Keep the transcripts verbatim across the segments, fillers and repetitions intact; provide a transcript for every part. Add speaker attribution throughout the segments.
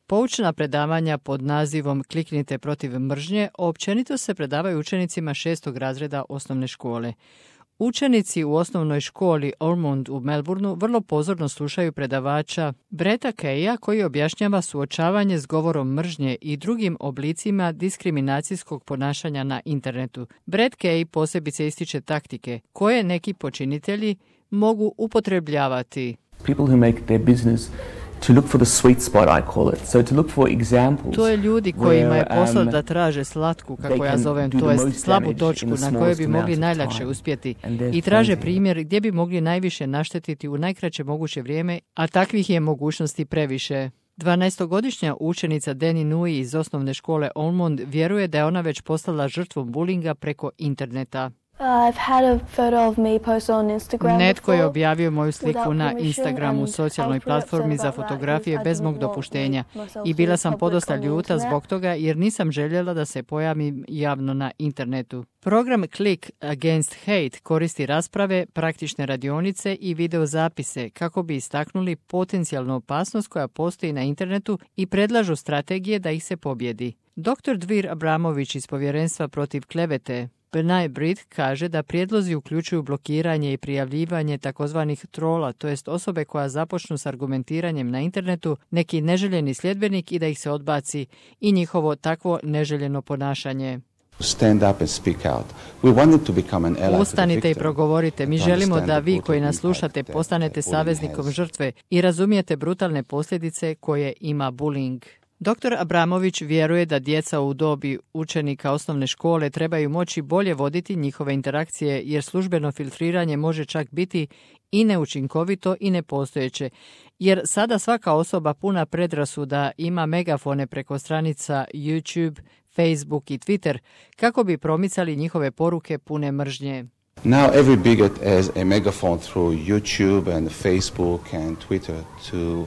Speaker 1: Poučna predavanja pod nazivom Kliknite protiv mržnje općenito se predavaju učenicima šestog razreda osnovne škole. Učenici u osnovnoj školi Ormond u Melbourneu vrlo pozorno slušaju predavača Bretta Keya koji objašnjava suočavanje s govorom mržnje i drugim oblicima diskriminacijskog ponašanja na internetu. Brett Key posebice ističe taktike koje neki počinitelji mogu upotrebljavati.
Speaker 2: People who make their business to look for the sweet spot, I call it. So to look for examples.
Speaker 1: To je ljudi kojima je posao da traže slatku, kako ja zovem, to jest slabu točku na kojoj bi mogli najlakše uspjeti i traže primjer gdje bi mogli najviše naštetiti u najkraće moguće vrijeme, a takvih je mogućnosti previše. dvanaestogodišnja učenica Danny Nui iz osnovne škole Ormond vjeruje da je ona već postala žrtvom bulinga preko interneta.
Speaker 3: I've had a photo of me posted on Instagram.
Speaker 1: Netko je objavio moju sliku na Instagramu, socijalnoj platformi za fotografije bez mog dopuštenja i bila sam podosta ljuta zbog toga jer nisam željela da se pojavim javno na internetu. Program Click Against Hate koristi rasprave, praktične radionice i videozapise kako bi istaknuli potencijalnu opasnost koja postoji na internetu i predlažu strategije da ih se pobjedi. doktor Dvir Abramović iz Povjerenstva protiv klevete B'nai B'rith kaže da prijedlozi uključuju blokiranje i prijavljivanje takozvanih trola, to jest osobe koja započnu s argumentiranjem na internetu, neki neželjeni sljedbenik i da ih se odbaci i njihovo takvo neželjeno ponašanje.
Speaker 4: Stand up and speak out. We want it to become an ally.
Speaker 1: Ustanite i progovorite. Mi želimo da vi koji nas slušate postanete saveznikom žrtve i razumijete brutalne posljedice koje ima bullying. doktor Abramović vjeruje da djeca u dobi učenika osnovne škole trebaju moći bolje voditi njihove interakcije jer službeno filtriranje može čak biti i neučinkovito i nepostojeće. Jer sada svaka osoba puna predrasuda ima megafone preko stranica YouTube, Facebook i Twitter kako bi promicali njihove poruke pune mržnje.
Speaker 4: Now every bigot has a megaphone through YouTube and Facebook and Twitter to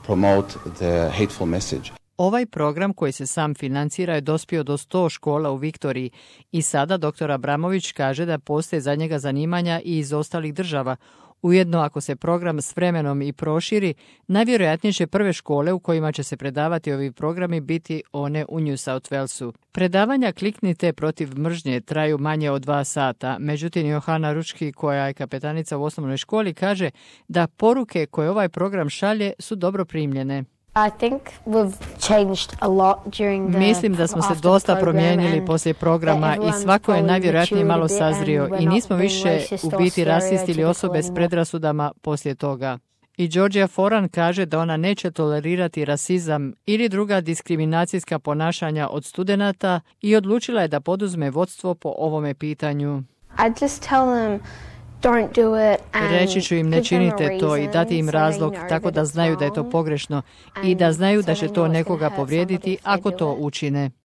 Speaker 4: promote the hateful message.
Speaker 1: Ovaj program koji se sam financira je dospio do sto škola u Viktoriji i sada doktor Abramović kaže da postoje za njega zanimanja i iz ostalih država. Ujedno, ako se program s vremenom i proširi, najvjerojatnije će prve škole u kojima će se predavati ovi programi biti one u New South Walesu. Predavanja Kliknite protiv mržnje traju manje od dva sata, međutim Johana Ručki, koja je kapetanica u osnovnoj školi, kaže da poruke koje ovaj program šalje su dobro primljene.
Speaker 3: I think we've changed a lot during the,
Speaker 1: Mislim da smo se dosta promijenili poslije programa i svako je najvjerojatnije malo sazrio i nismo više u biti rasisti ili osobe s predrasudama poslije toga. I Georgia Foran kaže da ona neće tolerirati rasizam ili druga diskriminacijska ponašanja od studenata i odlučila je da poduzme vodstvo po ovome pitanju.
Speaker 3: I just tell them don't do it and
Speaker 1: reći ću im ne činite to i dati im razlog tako da znaju da je to pogrešno i da znaju da će to nekoga povrijediti ako to učine.